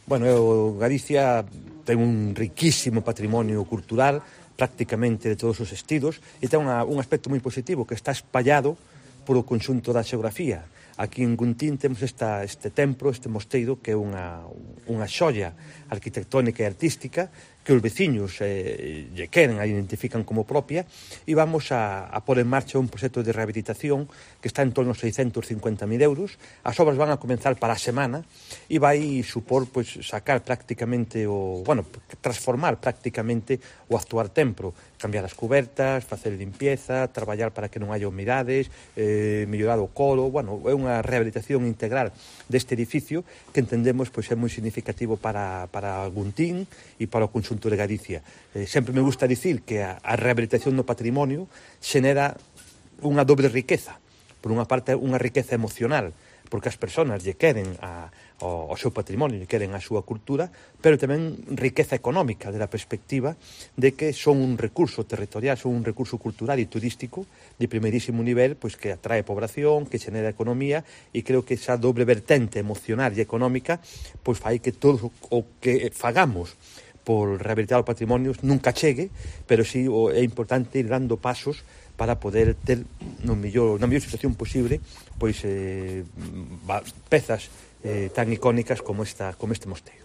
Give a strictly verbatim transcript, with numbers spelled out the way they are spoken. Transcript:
Bueno, eu, Galicia ten un riquísimo patrimonio cultural, prácticamente de todos os estilos, e ten unha, un aspecto moi positivo, que está espallado polo conxunto da xeografía. Aquí en Guntín temos esta, este templo, este mosteiro, que é unha, unha xoia arquitectónica e artística, que os veciños eh, lle queren, a identifican como propia, e vamos a, a pôr en marcha un proxecto de rehabilitación que está en torno aos seiscentos cincuenta mil euros. As obras van a comenzar para a semana e vai supor pues, sacar prácticamente o, bueno, transformar prácticamente o actual templo, cambiar as cubertas, facer limpieza, traballar para que non haya humidades, eh, mellorar o coro, bueno, é unha rehabilitación integral deste edificio que entendemos pois, é moi significativo para, para Guntín e para o conxunto de Galicia. Eh, sempre me gusta dicir que a, a rehabilitación do patrimonio xenera unha doble riqueza. Por unha parte, unha riqueza emocional, porque as persoas lle queren a, ao, ao seu patrimonio, lle queren a súa cultura, pero tamén riqueza económica, de la perspectiva de que son un recurso territorial, son un recurso cultural e turístico de primeirísimo nivel, pois que atrae población, que xenera economía, e creo que esa doble vertente emocional e económica pois fai que todo o que fagamos por rehabilitar o patrimonio nunca chegue, pero sí o, é importante ir dando pasos para poder ter no mellor, na mellor situación posible pois eh, pezas eh, tan icónicas como esta como este mosteiro.